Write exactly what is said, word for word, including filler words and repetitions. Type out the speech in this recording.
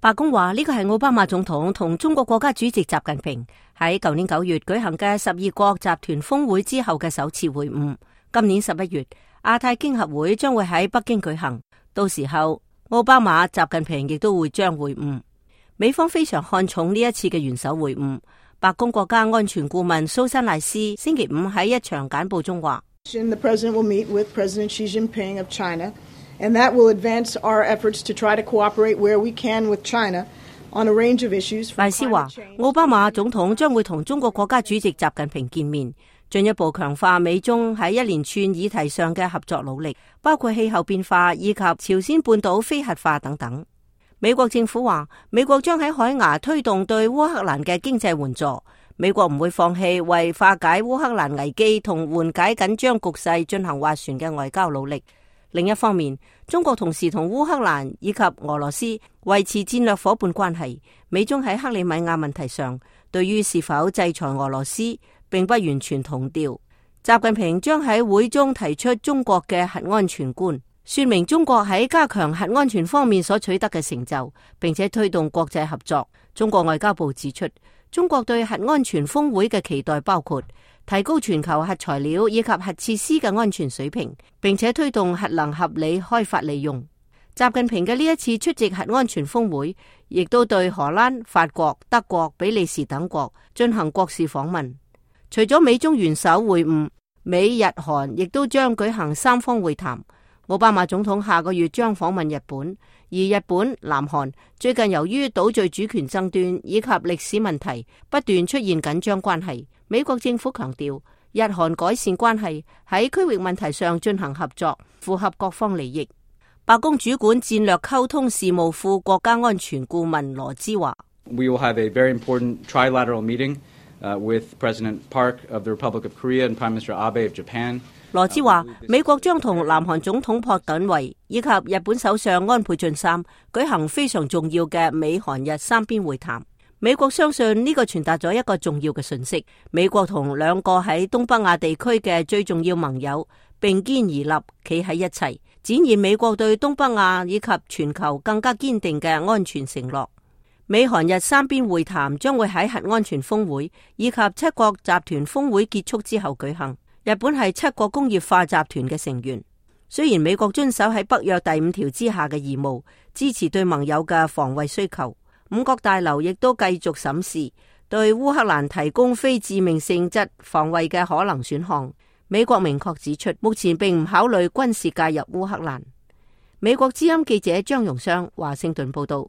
白宮話呢個係奧巴馬總統同中國國家主席習近平喺舊年九月舉行嘅十二國集團峰會之後嘅首次會晤。今年十一月，亞太經合會將會喺北京舉行，到時候奧巴馬、習近平亦都會將會晤。美方非常看重呢一次嘅元首會晤。白宮國家安全顧問蘇珊賴斯星期五喺一場簡報中話：The president will meet with President Xi Jinping of China, and that will advance our efforts to try to cooperate where we can with China on a range of issues. 賴斯話：奧巴馬總統將會同中國國家主席習近平見面，進一步強化美中喺一連串議題上嘅合作努力，包括氣候變化以及朝鮮半島非核化等等。美國政府話，美國將喺海牙推動對烏克蘭嘅經濟援助，美國唔會放棄為化解烏克蘭危機同緩解緊張局勢進行斡旋嘅外交努力。另一方面，中國同時同烏克蘭以及俄羅斯維持戰略夥伴關係。美中喺克里米亞問題上，對於是否制裁俄羅斯並不完全同調。習近平將喺會中提出中國嘅核安全觀，說明中國喺加強核安全方面所取得嘅成就，並且推動國際合作。中國外交部指出，中國對核安全峰會嘅期待包括提高全球核材料以及核設施嘅安全水平，並且推動核能合理開發利用。習近平嘅呢一次出席核安全峰會，亦都對荷蘭、法國、德國、比利時等國進行國事訪問。除咗美中元首會晤，美日韓亦都將舉行三方會談。奧巴馬總統下個月將訪問日本，而日本、南韓最近由於島嶼主權爭端以及歷史問題不斷出現緊張關係。美國政府強調，日韓改善關係喺區域問題上進行合作，符合各方利益。白宮主管戰略溝通事務副國家安全顧問羅茲話 ：We will have a very important trilateral meeting, uh, with President Park of the Republic of Korea and Prime Minister Abe of Japan. 羅茲話：美國將同南韓總統朴槿惠以及日本首相安倍晉三舉行非常重要嘅美韓日三邊會談。美國相信呢個傳達咗一個重要嘅訊息：美國同兩個喺東北亞地區嘅最重要盟友並肩而立，企喺一齊，展現美國對東北亞以及全球更加堅定嘅安全承諾。美韓日三邊會談將會喺核安全峰會以及七國集團峰會結束之後舉行。日本係七國工業化集團嘅成員，雖然美國遵守喺北約第五條之下嘅義務，支持對盟友嘅防衛需求，五角大樓亦都繼續審視對烏克蘭提供非致命性質防衛嘅可能選項。美國明確指出，目前並唔考慮軍事介入烏克蘭。美國之音記者張榮湘華盛頓報道。